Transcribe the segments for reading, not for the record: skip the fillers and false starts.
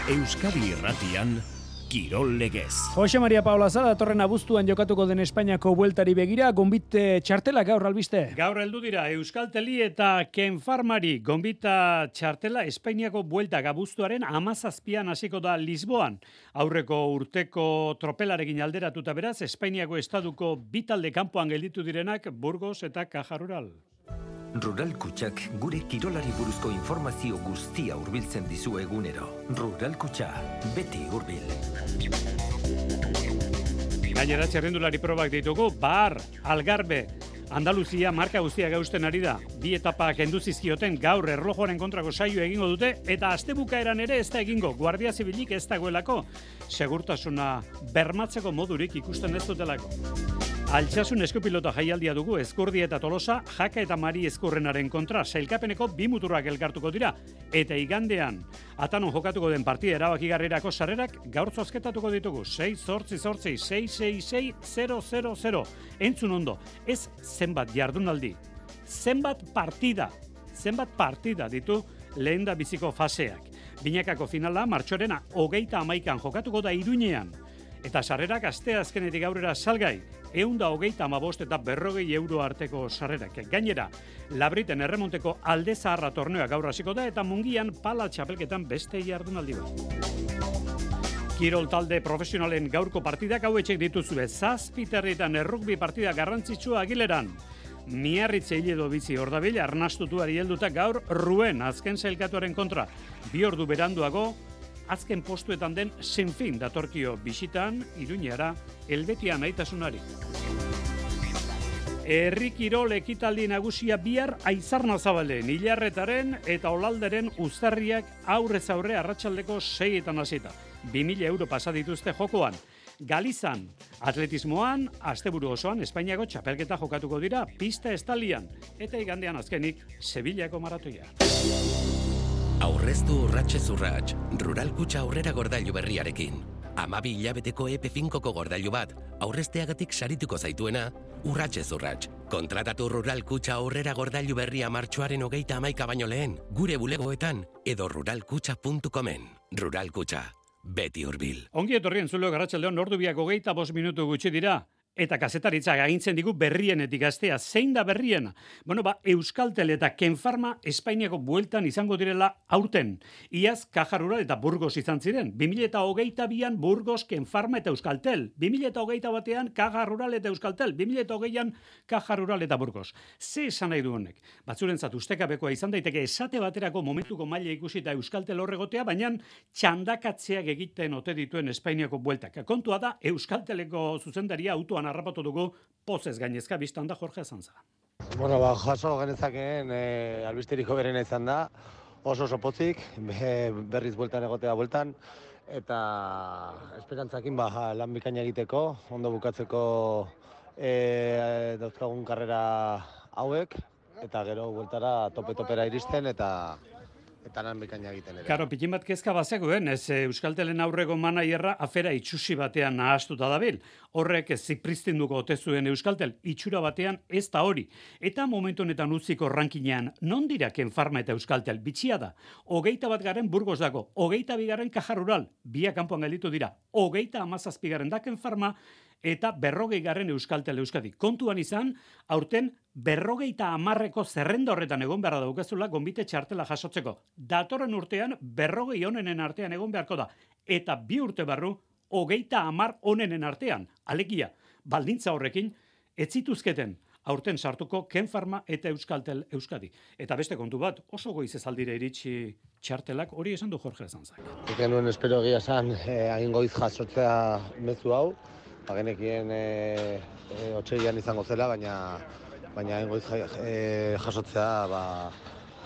Euskadi Irratian, Kirol Legez. Jose Maria Paula Zara datorren abuztuan jokatuko den Espainiako bueltari begira, gonbite txartela gaur albiste. Gaur heldu dira Euskalteli eta Ken Farmari gonbita txartela Espainiako bueltak abuztuaren 17an hasiko da Lisboan. Aurreko urteko tropelarekin alderatuta beraz, Espainiako estaduko bi talde kanpoan gelditu direnak Burgos eta Caja Rural. Rural Kutxak gure kirolari buruzko informazio guztia hurbiltzen dizu egunero. Rural Kutxa, beti hurbil. Gainera txerrendulari probak ditugu, Bar, Algarbe, Andaluzia marka guztiak eusten ari da. Bi etapa kendu zizkioten gaur erlojoaren kontrako saio egingo dute eta astebukaeran ere ez da egingo. Guardia Zibilik ez dagoelako. Segurtasuna bermatzeko modurik ikusten ez dutelako. Altsasun eskupilota jaialdia dugu Ezkurdi eta Tolosa, Jaka eta Mari Ezkurrenaren kontra sailkapeneko bi muturrak elkartuko dira eta igandean Atanon jokatuko den partida erabakigarrirako sarrerak gaur zozketatuko ditugu 688-666-000. Entzun ondo, ez zenbat jardunaldi, zenbat partida ditu lehenda biziko faseak. Binakako finala martxoaren 31an jokatuko da Iruñean. Eta sarrerak asteazkenetik aurrera salgai, 135 eta 40 euro arteko sarrerak. Gainera, Labriten erremonteko alde zaharra torneoa gaur hasiko da eta Mungian pala txapelketan beste jardunaldi bat. Kirol talde profesionalen gaurko partidak hauetxek dituzue, 7:00 errugbi partida garrantzitsua Agileran. Miarritze hiledo bizi ordabil, arnastutuari helduta gaur Ruen azken sailkatuaren kontra. 2 ordu beranduago, azken postuetan den Sinfin datorkio bisitan, Iruñara, Helbetia naitasunari. Herri kirol ekitaldi nagusia bihar Aizarnazabalden, Ilarretaren eta Olalderen uztarriak aurrez aurre arratsaldeko 6etan hasita. 2000 euro pasa dituzte jokoan. Galizan, atletismoan, asteburu osoan Espainiako txapelketa jokatuko dira, pista estalian, eta igandean azkenik Sevillako maratoia. Aurreztu urratxez urrats, Rural Kutxa aurrera gordailu berriarekin. 12 hilabeteko EP5ko gordailu bat, aurrezteagatik sarituko zaituena, urratxez urrats. Kontratatu Rural Kutxa aurrera gordailu berria martxoaren 31 baino lehen, gure bulegoetan edo ruralkutxa.comen. Rural Kutxa, beti hurbil. Ongi etorrien zulo garratxaldeon, ordu biak 25 minutu gutxi dira. Eta kazetaritza agintzen digu berrienetik astea. Zein da berriena? Euskaltel eta Ken Farma Espainiako bueltan izango direla aurten. Iaz Caja Rural eta Burgos izan ziren. 2022an Burgos, Ken Farma eta Euskaltel. 2021an Caja Rural eta Euskaltel. 2020an Caja Rural eta Burgos. Ze esan nahi du honek? Batzurentzat ustekabekoa izan daiteke esate baterako momentuko maila ikusita Euskaltel horregotea, baina txandakatzeak egiten ote dituen Espainiako bueltak. Kontua da Euskalteleko zuzendaria autoan harrapatu dugu, pozez gainezka biztan da Jorge Azanza. Jaso genezakeen albisteriko berena izan da, oso pozik, berriz bueltan egotea bueltan, eta esperantzakin lan bikaina egiteko, ondo bukatzeko dauzkagun karrera hauek, eta gero bueltara tope-topera iristen, eta lan bikaina egiten ere. Karo, pikin bat kezka bazekuen, ez Euskaltelen aurreko manaierra afera itxusi batean nahastuta dabil. Horrek zipristinduko ote zuen Euskaltel, itxura batean ez da hori. Eta momentu honetan utziko rankinean, non dira Ken Farma eta Euskaltel? Bitxia da. 21 Burgos dago, 22 Caja Rural, biak kanpoan gelditu dira. 37 da Ken Farma, eta 40 Euskaltel Euskadi. Kontuan izan, aurten 50ko zerrenda horretan egon beharra daukazula gonbite txartela jasotzeko. Datorren urtean 40 onenen artean egon beharko da. Eta 2 urte barru 30 onenen artean. Alegia, baldintza horrekin, ez zituzketen aurten sartuko Ken Farma eta Euskaltel Euskadi. Eta beste kontu bat, oso goiz ez aldire iritsi txartelak, hori esan du Jorge Zanzak. Eken nuen espero egia esan, agin goiz jasotzea mezu hau, genekien otsailean izango zela, baina goiz jasotzea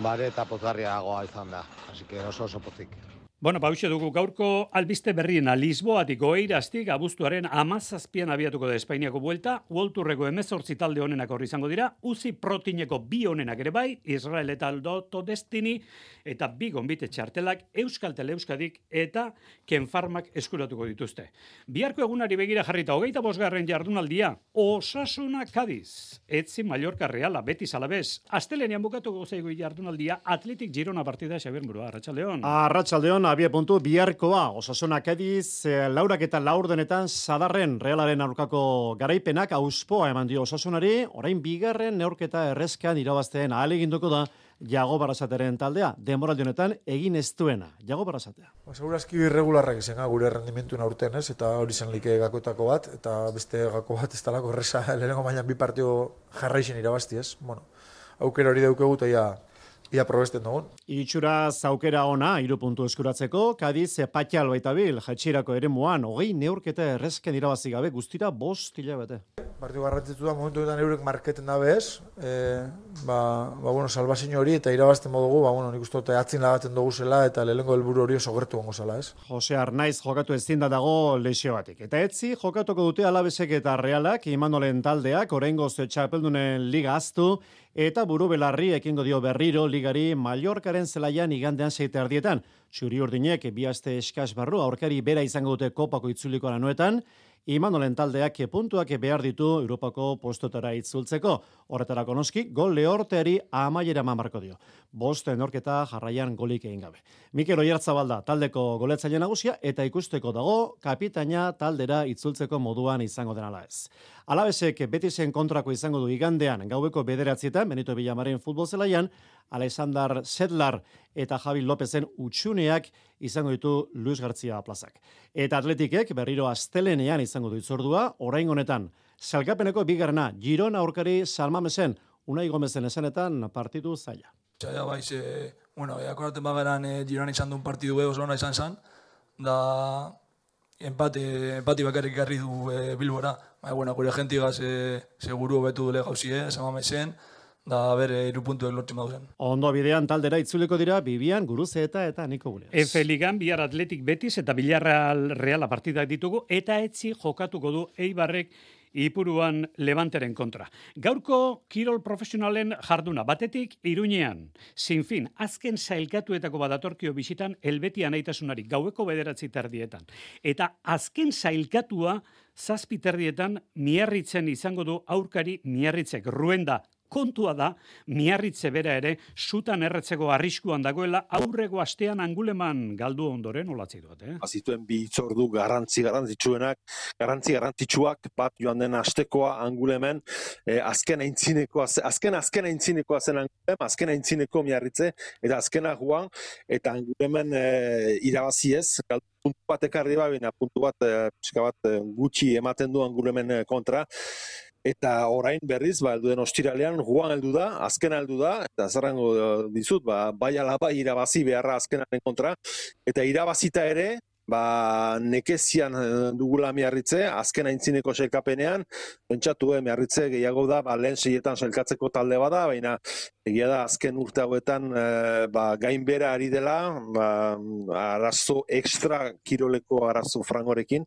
bare eta pozgarriagoa izan da. Así que oso pozik. Hauxe dugu gaurko albiste berriena Lisboatik Oeiraztik abuztuaren 17an abiatuko da Espainiako buelta, World Tourreko 18 talde onenak hor izango dira, UCI Protineko 2 onenak ere bai, Israel eta Lotto Destiny, eta 2 gonbite txartelak Euskaltel Euskadik eta Ken Farmak eskuratuko dituzte. Biharko egunari begira jarrita 25. jardunaldia, Osasuna Cádiz, Etzi Mallorca Reala, Betis Alavés, astelenean bukatuko zaigu jardunaldia, Athletic Girona partida Xabier Murua, Arratsaldeon. Arratsaldeon, Osasuna 2 puntu, biharkoa Osasuna Kadiz, laurak eta laurdenetan Sadarren Realaren aurkako garaipenak auspoa eman dio Osasunari, orain bigarren neurketa errezkan irabazteen ahaleginduko da Jago Barrasateren taldea, denboraldi honetan egin ez duena. Jago Barrasatea. Segurazki irregularrak izan gure rendimentuen aurten, ez? Eta hori zen like gakoetako bat, eta beste gako bat ez talako erresa lehenengo mailan 2 partio jarraixen irabazti, ez? Bueno, aukera hori daukegu eta ia probesten dugun. Itxura zaukera ona, 3 puntu eskuratzeko, Kadiz patxal baita bil, jaitsirako eremuan, 20 neurketa errezken irabazi gabe, guztira 5 hilabete. Partidu garrantzitsu da, momentu honetan eurek marketen dabe ez, bueno, salbazio hori eta irabazten modugu, bueno, nik uste atzin lagatzen dugu zela eta lehenengo helburu hori oso gertu gongo zela, ez? Jose Arnaiz jokatu ezin da dago lesioatik. Eta etzi jokatuko dute Alabesek eta Realak, Imanolen taldeak, oraingoz txapeldunen liga aztu, eta buru belarri ekingo dio berriro ligari Mallorcaren zelaian igandean 7:30. Txuri urdinek 2 aste eskas barru aurkari bera izango dute kopako itzuliko lanuetan, Imanolen taldeak puntuak behar ditu Europako postotara itzultzeko. Horretarako noski, gol lehorteari amaiera marko dio. 5 neurketa jarraian golik egin gabe. Mikel Oiartzabalda taldeko goletzaile nagusia eta ikusteko dago kapitaina taldera itzultzeko moduan izango denala ez. Alabesek Betisen kontrako izango du igandean gaueko 9:00 Benito Villamarin futbol zelaian, Alexander Sedlar eta Javi Lopezen utxuneak izango ditu Luis García plazak. Eta Atletikek berriro astelenean izango du itzordua, orain honetan salkapeneko bigarrena Girona aurkari Salmamesen, Unai Gomezen esanetan partidu zaila. Ja baiz, akoraten bagaran Girona izan duen partidu oso ona izan zen, da empati bakarrik garri du Bilbora. Gure jentigaz seguru betu dule gauzie, Salmamesen, da 3 puntuek lortzen baduzen. Ondo bidean taldera itzuliko dira Bibian, Guruzeeta eta Niko Guneaz. Efe Ligan bihar Atletik Betis eta Villarreal Reala partidak ditugu eta etzi jokatuko du Eibarrek Ipuruan Levanteren kontra. Gaurko kirol profesionalen jarduna batetik Iruñean. Sinfin, azken sailkatuetako badatorkio bisitan Helbetia naitasunari gaueko 9:30. Eta azken sailkatua 7:30 Miarritzen izango du aurkari Miarritzek. Ruenda kontua da, Miarritze bera ere, sutan erretzeko arriskuan dagoela, aurrego astean Anguleman galdu ondoren, olatzi dut, Azituen 2 hitzordu garrantzitsuak, bat joan den astekoa Angulemen, azken aintzinekoa zen Angulem, azken aintzineko Miarritze, eta azkena joan, eta Angulemen irabaziez, galdu puntu bat ekarri baina, puntu bat, gutxi ematen du Angulemen kontra, eta orain berriz, helduen ostiralean, Juan heldu da, azkena heldu da, eta zerrango dizut, bai ala bai irabazi beharra azkenaren kontra, eta irabazita ere, nekezian dugula Miarritze, azken aintzineko sailkapenean, pentsatu Miarritze gehiago da, lehen 6etan sailkatzeko talde bada, baina egia da azken urte hauetan gainbera ari dela, arazo extra kiroleko arazo frangorekin,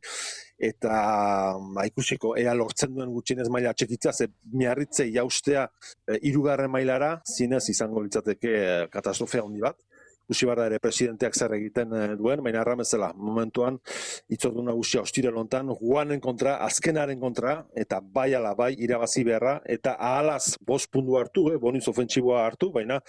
eta ikusiko ea lortzen duen gutxienez maila txekitza, ze Miarritze jaustea 3. mailara, zinez izango litzateke katastrofea handi bat. Ikusi barra ere presidenteak zer egiten duen, baina erramezela, momentuan itzordu nagusia ostiral hontan, Juanen kontra, azkenaren kontra, eta bai ala bai irabazi beharra, eta ahalaz 5 puntu hartu, boniz ofentsiboa hartu, baina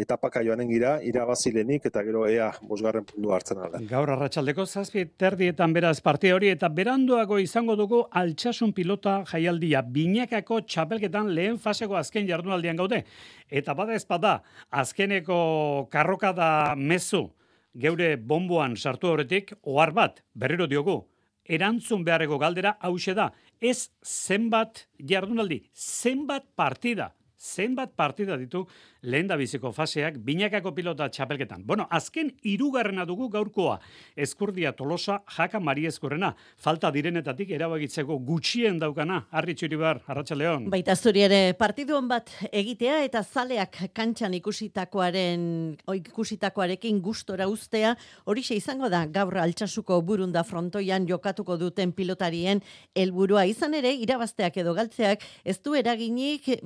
etapaka joanen gira, irabazilenik, eta gero ea 5. puntu hartzen alda. Gaur arratsaldeko 7:30 beraz parte hori, eta beranduago izango dugu Altsasun pilota jaialdia, binakako txapelketan lehen faseko azken jardunaldian gaude. Eta bada ezpada, azkeneko karrokada mezu, geure bomboan sartu horretik, ohar bat, berriro diogu, erantzun beharreko galdera hause da, ez zenbat jardunaldi, zenbat partida ditu lehen da biziko faseak binakako pilota txapelketan. Bueno, azken 3. dugu gaurkoa. Ezkurdia Tolosa, Jaka Mariezkorrena. Falta direnetatik erabakitzeko gutxien daukana. Arri Txuribar, Arratsaldeon. Baita zuri ere partiduen bat egitea eta zaleak kantxan ikusitakoarekin gustora uztea. Horixe izango da gaur Altsasuko Burunda frontoian jokatuko duten pilotarien helburua izan ere irabazteak edo galtzeak ez du eraginik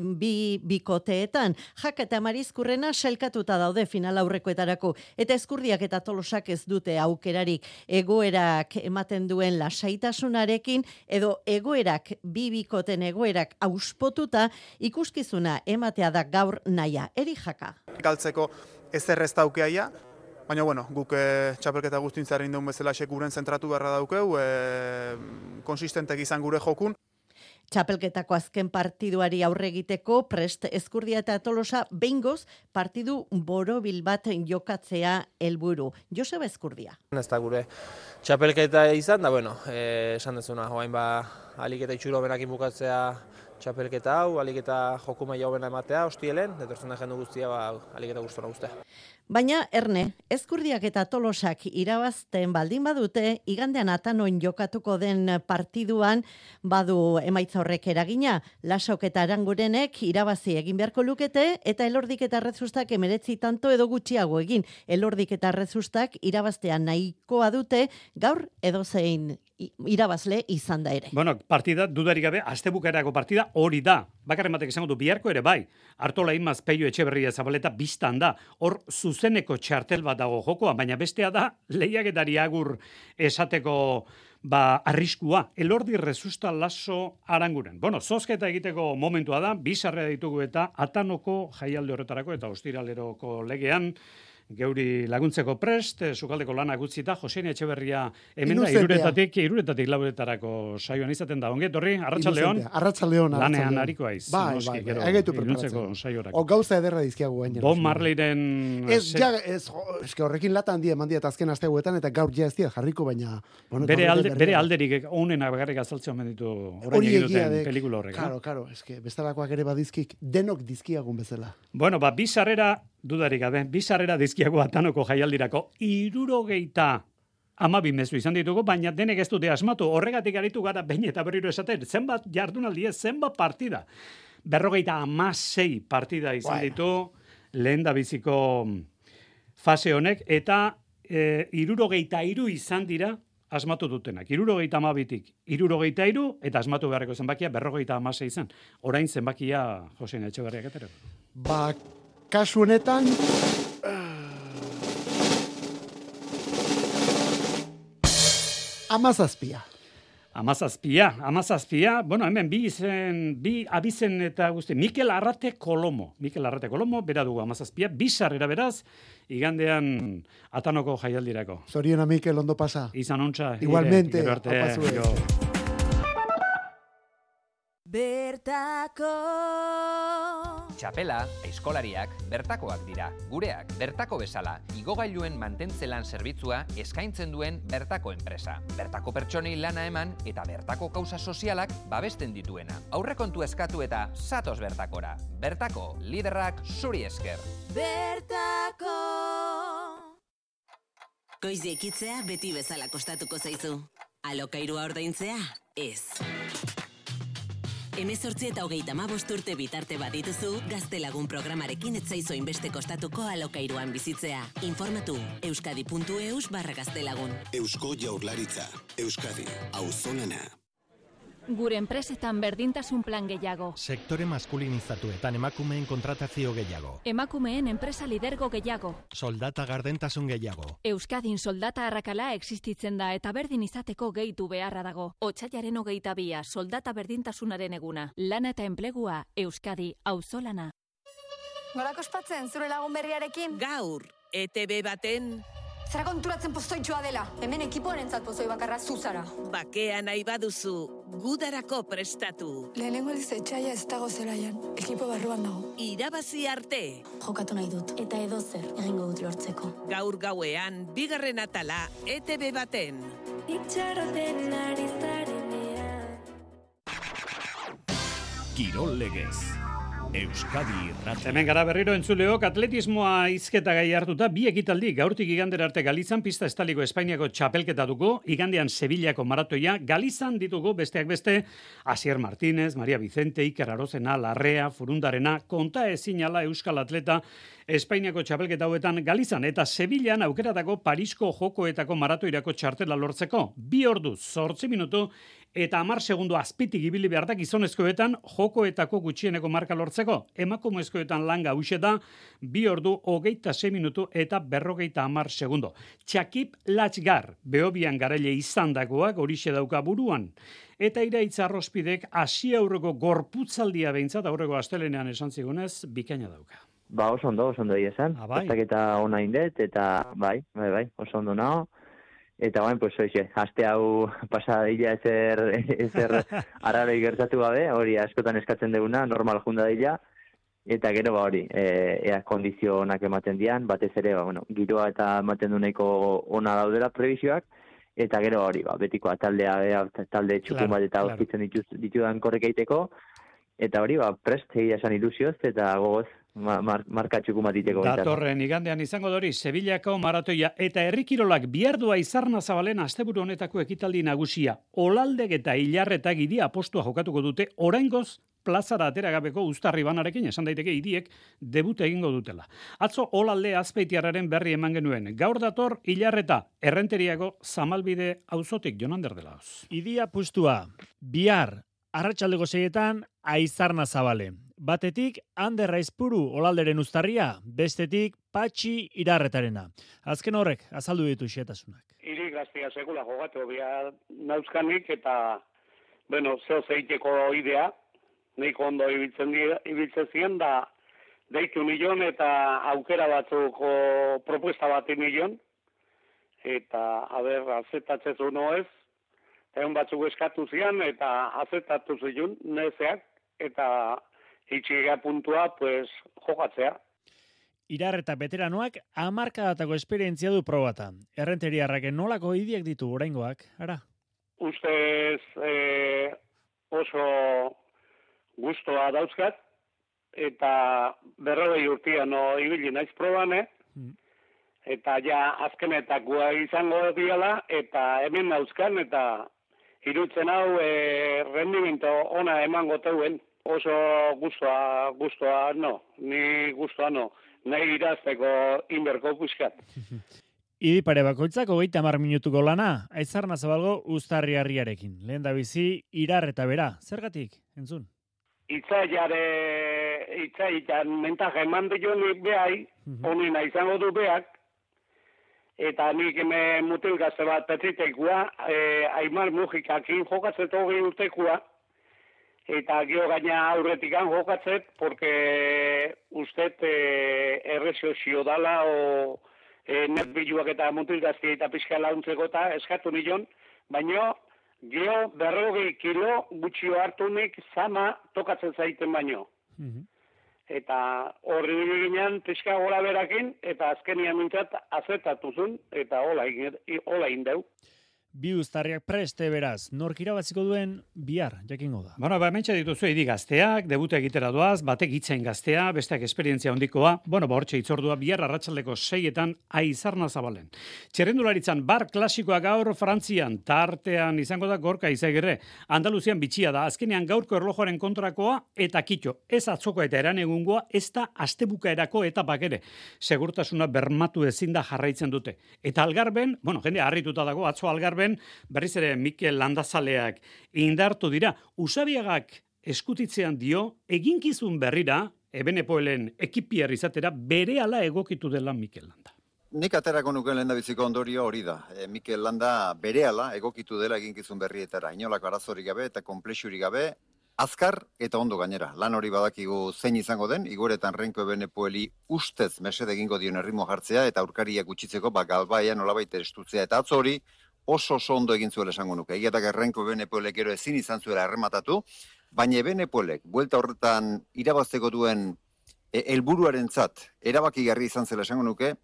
bikoteetan. Jaka eta Marizkurrena sailkatuta daude final aurrekoetarako eta Ezkurdiak eta Tolosak ez dute aukerarik. Egoerak ematen duen lasaitasunarekin edo egoerak bikoten egoerak auspotuta ikuskizuna ematea da gaur naia. Eri Jaka. Galtzeko ezer ez daukeaia, Baina, bueno, guk txapelketa guztintzaren duen bezala guren zentratu beharra daukeu, konsistentek izan gure jokun. Txapelketako azken partiduari aurre egiteko prest Ezkurdia eta Tolosa behingoz partidu borobil bat jokatzea helburu. Joseba Ezkurdia. Ez da gure txapelketa izan, da bueno, esan dezuna, oain alik eta itxuro benakin bukatzea txapelketa hau, alik eta joku maila hobena ematea, hostielen, detortzen da jendu guztia, alik eta guztona guztia. Baina, Erne, Ezkurdiak eta Tolosak irabazten baldin badute, igandean Atanon jokatuko den partiduan badu emaitza horrek eragina. Lasok eta Arangurenek irabazi egin beharko lukete, eta Elordik eta Rezustak 19 tanto edo gutxiago egin. Elordik eta Rezustak irabaztean nahikoa dute, gaur edozein irabazle izan da ere. Bueno, partida, dudarik gabe, astebukaerako partida hori da. Bakarren batek esango du, biharko ere bai. Artola Imaz, Peio Etxeberria Zabaleta biztan da. Hor zuzeneko txartel bat dago jokoa, baina bestea da lehiaketari agur esateko arriskua. Elordi Rezusta Laso Aranguren. Bueno, zozketa egiteko momentua da, bizarrea ditugu eta Atanoko jaialde horretarako eta ostiraleroko legean geuri laguntzeko prest, sukaldeko lanak utzita, Josein Etxeberria hemen da, iruretatik lauretarako saioan izaten da. Onget, horri, Arratsaldeon. Arratsaldeon. Lanean hariko aiz. Bai, egeitu preparatzen. O gauza ederra dizkiagu gainera. Bob Marleyren... horrekin lata handia eman diat azken asteguetan, eta gaur ja ez dira jarriko, baina... Bere alderik, honenak bakarrik azaltzea omen ditu orain egiten pelikula horrek. Karo, bestalakoak ere badizkik, denok dizkiagun bezala. Bueno, bi sarrera, dudarik gabe, bi sarrera dizkiago Atanoko jaialdirako 72 mezu izan ditugu, baina denek ez dute asmatu. Horregatik aritu gara behin eta berriro esaten, zenbat jardunaldi ez, zenbat partida. 56 partida izan ditu lehen da biziko fase honek, eta 73 izan dira asmatu dutenak. 72tik 73 eta asmatu beharreko zenbakia 56 izan. Orain zenbakia Josein Etxeberriak etero. Kasu honetan... Amazazpia. Bueno, hemen bi abizen eta guzti. Mikel Arrate Kolomo, bera dugu Amazazpia, bi sarrera beraz, igandean Atanoko jaialdirako. Zoriona Mikel, ondo pasa. Izan ontsa. Igualmente, Bertako Txapela, aizkolariak, bertakoak dira. Gureak, bertako bezala, igogailuen mantentzelan zerbitzua eskaintzen duen bertako enpresa. Bertako pertsonei lana eman eta bertako kausa sozialak babesten dituena. Aurrekontu eskatu eta zatoz bertakora. Bertako, liderrak zuri esker. Bertako Goizi ekitzea beti bezala kostatuko zaizu. Alokairua ordaintzea, ez. 18 eta 35 urte bitarte badituzu, Gaztelagun programarekin ez zaizu inbeste kostatuko alokairuan bizitzea. Informatu euskadi.eus/gaztelagun. Eusko Jaurlaritza, Euskadi, auzolana. Gure enpresetan berdintasun plan gehiago. Sektore maskulinizatuetan emakumeen kontratazio gehiago. Emakumeen enpresa lidergo gehiago. Soldata gardentasun gehiago. Euskadin soldata arrakala existitzen da eta berdin izateko gehitu beharra dago. Otsailaren 22, soldata berdintasunaren eguna. Lana eta enplegua, Euskadi, auzolana. Gorako ospatzen, zure lagun berriarekin? Gaur, ETB baten... Zara konturatzen pozoitxoa dela. Hemen ekipoarentzat pozoi bakarra zuzara. Bakea nahi baduzu, gudarako prestatu. Lehenengo aldiz etxaia ez dago zelaian. Ekipo barruan dago. Irabazi arte. Jokatu nahi dut. Eta edozer egingo dut lortzeko. Gaur gauean, bigarren atala, ETB baten. Itxaroten ari zarenean. Kirol legez. Euskadi Irratia. Hemen gara berriro entzuleok, atletismoa hizketa gai hartuta, bi ekitaldi gaurtik igandera arte Galizan, pista estaliko Espainiako txapelketa dugu, igandean Sevillako maratoia, Galizan ditugu besteak beste, Asier Martínez, Maria Vicente, Iker Arozena, Larrea, Furundarena, konta ezinala euskal atleta Espainiako txapelketa hauetan Galizan, eta Sevillan aukeratako Parisko jokoetako maratoirako txartela lortzeko, 2 ordu, 8 minutu, eta 10 segundo azpitik ibili behar da gizonezkoetan jokoetako gutxieneko marka lortzeko. Emakumezkoetan langa hauxe da 2 ordu 26 minutu eta 50 segundo. Txakip Latxgar, Behobian garaile izandakoak horixe dauka buruan. Eta Iraitz Arrospidek hasi aurreko gorputzaldia behintzat aurreko astelenean esan zigunez bikaina dauka. Ba, oso ondo egia esan. Eta ona indet, eta bai, oso ondo nao. Eta bain, pues, aste hau pasadilla ezer araroi gertatu gabe, hori askotan eskatzen duguna, normal junda dila. Eta gero hori, ea kondizio onak ematen dian, batez ere, giroa eta ematen du nahiko ona daudela prebisioak, eta gero hori, betikoa talde txukun bat eta aurkitzen ditudan korrek egiteko, eta hori, prest, egia esan ilusioz, eta gogoz, marka txukun bat iteko. Datorren igandean izango dori, Sevillako maratoia eta herrikirolak biardua Izarna Zabalen asteburu honetako ekitaldi nagusia, Olaldek eta Ilarretak idia apostua jokatuko dute, oraingoz plazara ateragabeko Uztarri banarekin, esan daiteke idiek debute egingo dutela. Atzo Olalde Azpeitiarraren berri eman genuen. Gaur dator Ilarreta, Errenteriako Zamalbide auzotik Jonander delauz. Idia pustua, bihar, arratsaldeko 6etan, Aizarna Zabale. Batetik, Ander Aizpuru Olalderen Uztarria, bestetik, Patxi Irarretarena. Azken horrek, azaldu ditu xetasunak. Iri gaztia sekula jogatu bihar nauzkanik eta, zeo zeiteko idea, nahiko ondo ibiltzen ziren, da deitu nion eta aukera batzuko propuesta bat nion, eta, azetatzen noez, egun batzuk eskatu zian, eta azetatu zion, nezeak, eta itxiga puntua, jokatzea. Irarreta veteranoak 10 esperientzia du probatan. Errenteriarrak nolako idiak ditu oraingoak, ara? Ustez oso gustoa dauzkat, eta 40 urtean ibili naiz proban, eta ja azkenetakoa izango diala, eta hemen dauzkan, eta irutzen hau rendimento ona emango teuen. Oso gustoa no, ni gustoa no, nahi irazteko inberko puskat. Idi pare bakoitzak 30 minutuko lana, Aizarna Zabalgo Uztarri harriarekin. Lehen da bizi, Irarreta bera, zergatik, entzun? Itzaitan mentaja eman dio nik behai, honena izango du beak, eta nik mutil gazte bat petitekoa, Aimar Mujikakin jokatzet 20 urtekoa, eta gio gaina aurretikan jokatzet, porque usted errezio dala, o nerbiluak eta mutil gazte eta pixka launtzeko eta eskatu nion, baina gio 40 kilo gutxio hartunik zama tokatzen zaiten baino. Eta horri ginean pixka gora berakin, eta azkenian mintzat azetatu zuen, eta hola indeu. Bi uztarriak preste beraz, nork irabaziko duen bihar, jakingo da. Hementxe dituzu edi gazteak, debuta egitera doaz, batek itzain gaztea, besteak esperientzia hondikoa, hortxe itzordua bihar arratsaldeko 6etan Aizarna Zabalen. Txerrendularitzan bar klasikoa gaur Frantzian, tartean izango da Gorka Izagirre. Andaluzian bitxia da, azkenean gaurko erlojoaren kontrakoa eta kitxo. Ez atzokoa eta eranegungoa, ez da astebukaerako etapak ere. Segurtasuna bermatu ezin da jarraitzen dute. Eta Algarben, jende harrituta dago, atzo Algarben, berriz ere Mikel Landazaleak indartu dira. Usabiagak eskutitzean dio, eginkizun berrira, Ebenepoelen ekipiar izatera, berehala egokitu dela Mikel Landa. Nik aterako nuke lehendabiziko ondorio hori da. Mikel Landa berehala egokitu dela eginkizun berrietara. Inolako arazorik gabe eta konplexurik gabe, azkar eta ondo gainera. Lan hori badakigu zein izango den, igoretan Renko Ebenepoeli ustez mesede egingo dion erritmo jartzea eta aurkariak gutxitzeko galbaia nolabait estutzea. Eta atzo hori, oso ondo egin zuela esango nuke. Egiatak Renko Ebenepoelek ero ezin izan zuela errematatu, baina Ebenepoelek buelta horretan irabazteko duen helburuarentzat erabakigarri izan zela esango nuke,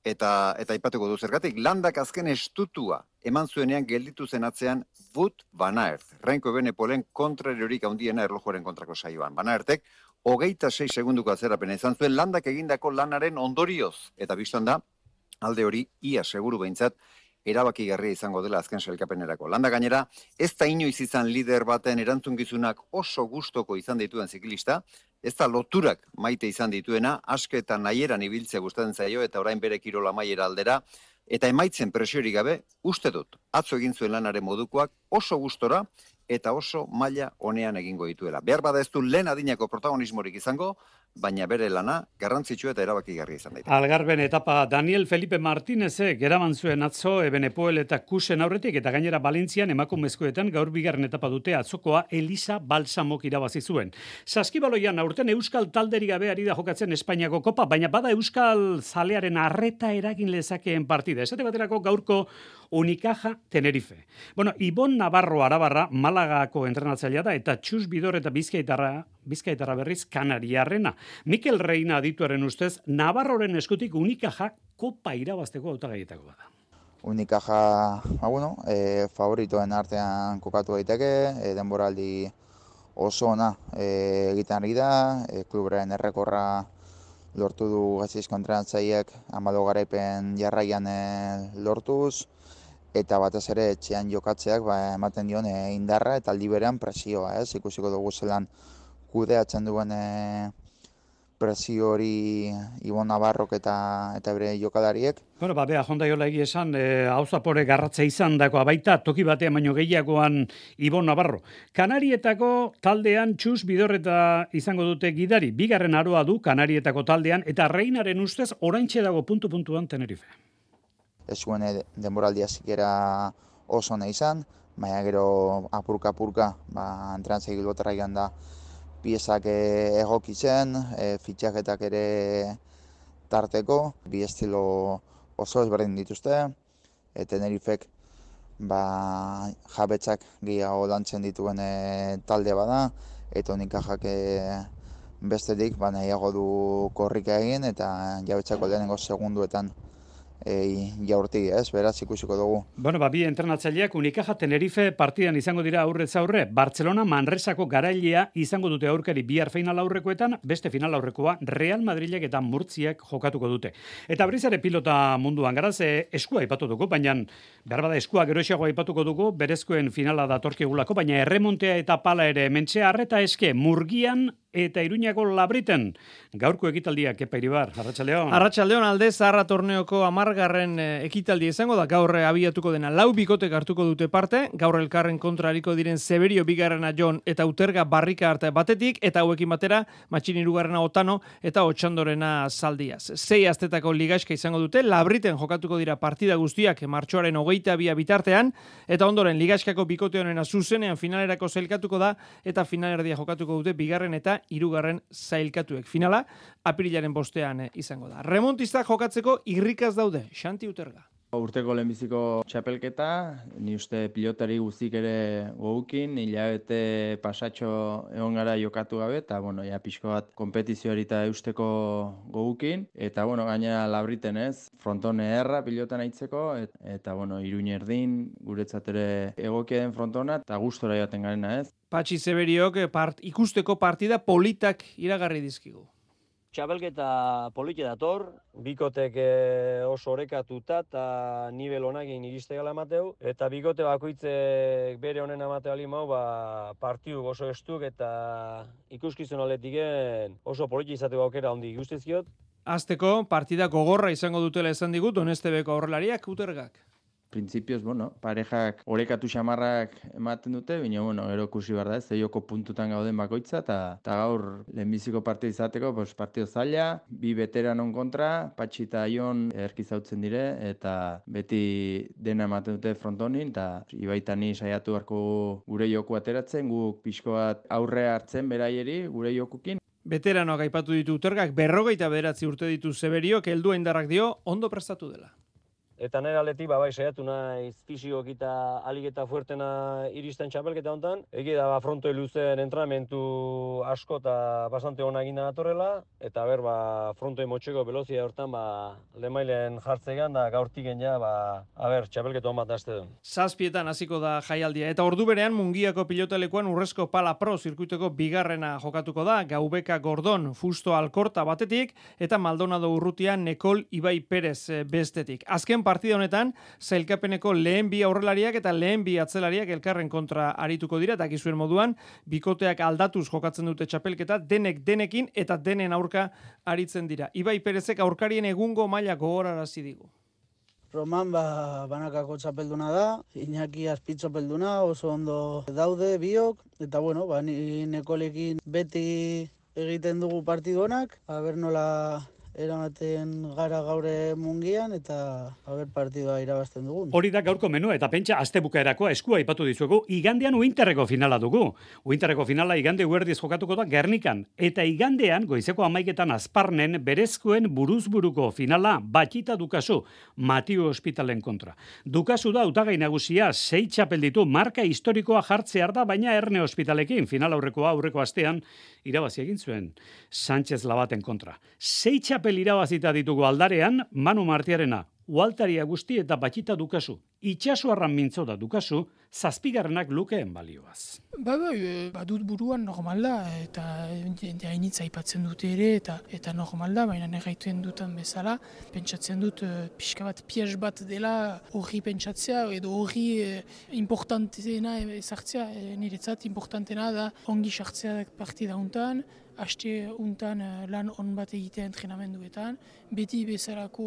eta aipatuko du zergatik. Landak azken estutua eman zuenean gelditu zen atzean Wout van Aert. Renko Ebenepoelen kontrariorik handiena erlojuaren kontrako saioan. Van Aertek 26 segunduko atzerapena izan zuen Landak egindako lanaren ondorioz. Eta biztan da, alde hori ia seguru behintzat erabakigarria izango dela azken sailkapenerako. Landa gainera, ez da inoiz izan lider baten erantzunkizunak oso gustoko izan dituen ziklista, ez da loturak maite izan dituena, aske eta nahieran ibiltzea gustatzen zaio eta orain bere kirola maiera aldera, eta emaitzen presiorik gabe, uste dut, atzo egin zuen lanaren modukoak oso gustora eta oso maila honean egingo dituela. Behar bada ez du lehen adinako protagonismorik izango, baina bere lana garrantzitsua eta erabakigarria izan daiteke. Algarben etapa Daniel Felipe Martínezek eraman zuen atzo Ebenepoel eta Kusen aurretik eta gainera Valentzian emakumezkoetan gaur bigarren etapa dute atzokoa Elisa Balsamok irabazi zuen. Saskibaloian aurten euskal talderik gabe ari da jokatzen Espainiako kopa, baina bada euskal zalearen arreta eragin lezakeen partida. Esate baterako gaurko Unicaja Tenerife. Bueno, Ibon Navarro Arabarra Malagako entrenatzailea da eta Txus Bidor eta Bizkaitarra berriz Kanariarrena. Mikel Reina adituaren ustez, Navarroren eskutik Unicaja kopa irabazteko hautagaietako bada. Unicaja, favoritoen artean kokatu daiteke, denboraldi oso ona egiten ari da, klubren errekorra lortu du Gasteizko entrenatzaileek 14 garaipen jarraian lortuz, eta batez ere etxean jokatzeak ematen dion indarra eta aldi berean presioa, ikusiko dugu zelan kudeatzen duen presio hori Ibon Navarrok eta bere jokalariek. Bueno, bea, jondaiola esan, hauzapore garratza izan dakoa baita, toki batean baino gehiagoan Ibon Navarro. Kanarietako taldean Txus Bidorreta izango dute gidari, bigarren aroa du Kanarietako taldean, eta Reinaren ustez oraintxe dago puntu-puntuan Tenerife. Ez zuen denboraldia zikera oso nahi izan, baina gero apurka, entrenatzaile Bilbotarra joan da piezak egokitzen, fitxaketak ere tarteko, bi estilo oso ezberdin dituzte, Tenerifek jabetzak gehiago lantzen dituen talde bada, eta Unicajak bestetik nahiago du korrika egin, eta jabetzako lehenengo segunduetan jaurti, beraz ikusiko dugu. Bueno, bi entrenatzaileak Unicaja Tenerife partidan izango dira aurrez aurre. Barcelona Manresako garailea izango dute aurkari bihar final aurrekoetan, beste final aurrekoa Real Madrilek eta Murtziak jokatuko dute. Eta berrizare pilota munduan garaz, eskua aipatu dugu, baina behar bada eskua geroxeago aipatuko dugu, berezkoen finala datorkigulako, baina erremontea eta pala ere mentxe arreta eske Murgian eta Iruñako Labriten. Gaurko ekitaldiak Kepa Iribar, Arratsaldeon. Arratsaldeon alde Zaharra torneoko 10. ekitaldia izango da, gaur abiatuko dena 4 bikotek hartuko dute parte, gaur elkarren kontra ariko diren Severio bigarrena Jon eta Uterga Barrika arte batetik, eta hauekin batera Matxin hirugarrena Otano eta Otxandorena Zaldiaz. 6 astetako ligaxka izango dute, Labriten jokatuko dira partida guztiak martxoaren 22 bitartean, eta ondoren ligaxkako bikote honena zuzenean finalerako zailkatuko da, eta finalerdia jokatuko dute bigarren eta hirugarren zailkatuek. Finala, apirilaren 5ean izango da. Remontistak jokatzeko irrikaz daude, Xanti Uterga. Urteko lehenbiziko txapelketa, ni uste pilotari guztik ere gogukin, hilabete pasatxo egon gara jokatu gabe, eta pixko bat kompetizioari eta eusteko gogukin, eta gaina Labriten frontone erra pilotan aitzeko, eta Iruin erdin, guretzat ere egokia den frontona, eta gustora joaten garena Patxi Severiok ikusteko partida politak iragarri dizkigu. Txapelketa polite dator, bikotek oso orekatuta eta nivel honakin iriste gala emateu, eta bikote bakoitzek bere honen emateu alimau, partidu oso estuk eta ikuskizun aletiken oso polite izateko aukera ondi guztizkiot. Azteko, partida gogorra izango dutela esan digut, Donestebeko aurrelariak, Utergak. Printzipioz, parejak orekatu xamarrak ematen dute, baina, gero ikusi behar da, joko puntutan gauden bakoitza, eta gaur lehenbiziko partida izateko, partido zaila, bi veteranon kontra, Patxi eta Jon erkizautzen dire, eta beti dena ematen dute frontonin, eta Ibaitani saiatu beharko gure joku ateratzen, guk pixko bat aurre hartzen beraieri, gure jokukin. Veteranoak aipatu ditu Utergak, 59 urte ditu Severiok, heldua indarrak dio, ondo prestatu dela. Eta nire aletik, saiatu naiz fisiok eta alik eta fuertena iristen txapelketa hontan. Egi da, frontoi luzen entrenamentu asko eta bastante hona egina datorrela. Eta frontoi motxeko velozia hortan, lemailen jartzegan da gaurtiken ja, txapelketa hon bat azte duen. 7 hasiko da jaialdia. Eta ordu berean Mungiako pilotalekuan Urrezko Pala Pro zirkuiteko bigarrena jokatuko da. Gaubeka Gordon, Fusto Alkorta batetik, eta Maldonado Urrutian Nekol Ibai Perez bestetik. Azken partida honetan, zailkapeneko lehen bi aurrelariak eta lehen bi atzelariak elkarren kontra arituko dira, eta gizuen moduan, bikoteak aldatuz jokatzen dute txapelketa, denekin eta denen aurka aritzen dira. Ibai Perezek aurkarien egungo maila gogorarazi digu. Roman banakako txapelduna da, Iñaki azpitzapelduna, oso ondo daude biok, eta ni Nekolekin beti egiten dugu partidu honak, aber nola eramaten gara gaure mungian eta haber partidua irabazten dugun. Hori da gaurko menua eta pentsa astebukaerakoa eskua aipatu dizuegu. Igandean Uinterreko finala dugu. Uinterreko finala igande guerdiz jokatuko da Gernikan. Eta igandean goizeko 11etan Azparnen berezkoen buruzburuko finala Batxita Dukasu, Matiu Ospitalen kontra. Dukasu da hautagai nagusia 6 txapel ditu marka historikoa jartzear da, baina Erne Ospitalekin final aurreko astean irabazi egin zuen Sánchez Labaten kontra. 6 txapel irabazita ditugu aldarean, Manu Martiarena, Ualtari Agusti eta Batxita Dukasu. Itxasoarran mintzo da Dukasu, 7. lukeen balioaz. Badut buruan normal da, eta hainitza aipatzen dute ere, eta normal da, baina negaituen dutan bezala, pentsatzen dut pixka bat pies bat dela horri pentsatzea, edo horri importantena ezartzea, niretzat importantena da ongi sartzea partida hontan, aste untan lan on bat egitea entrenamenduetan, beti bezalako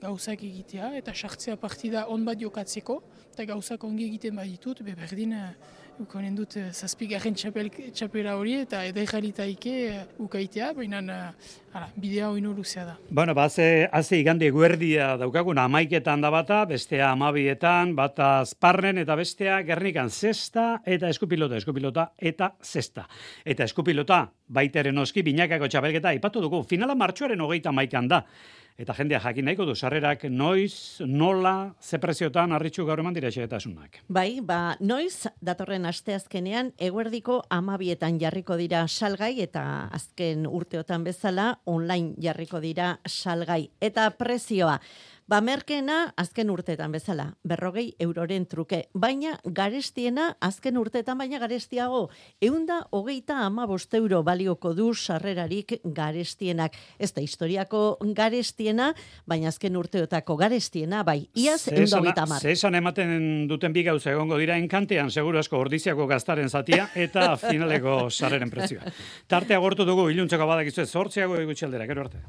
gauzak egitea, eta sartzea partida on bat jokatzeko, eta gauzak ongi egiten baditut, berdin ukonen dut 7. txapela hori, eta edaijalitaike ukaitea, baina bidea hori luzea da. Bueno, haze igande guerdia daukagun 11etan da bata, bestea 12etan, bata Azparnen eta bestea Gernikan 6. eta eskupilota eta 6. Eta eskupilota baiteren oski binakako txapelketa aipatu dugu. Finala martxoaren 31 da. Eta jendea jakin nahiko du, sarrerak noiz, nola, ze preziotan arritxu gaur eman dira xehetasunak. Bai, noiz datorren asteazkenean eguerdiko 12etan jarriko dira salgai eta azken urteotan bezala online jarriko dira salgai. Eta prezioa, merkeena azken urteetan bezala, 40 euroren truke, baina garestiena azken urteetan baina garestiago, 135 euro balioko du sarrerarik garestienak. Ez da historiako garestiena, baina azken urteotako garestiena, bai, iaz 130. Zesan ematen duten bi gauza egongo dira enkantean, seguru asko ordiziako gaztaren zatia, eta finaleko sarreren prezioa. Tartea gortu dugu, iluntzeko badakizu 8 gutxi aldera, gero arte.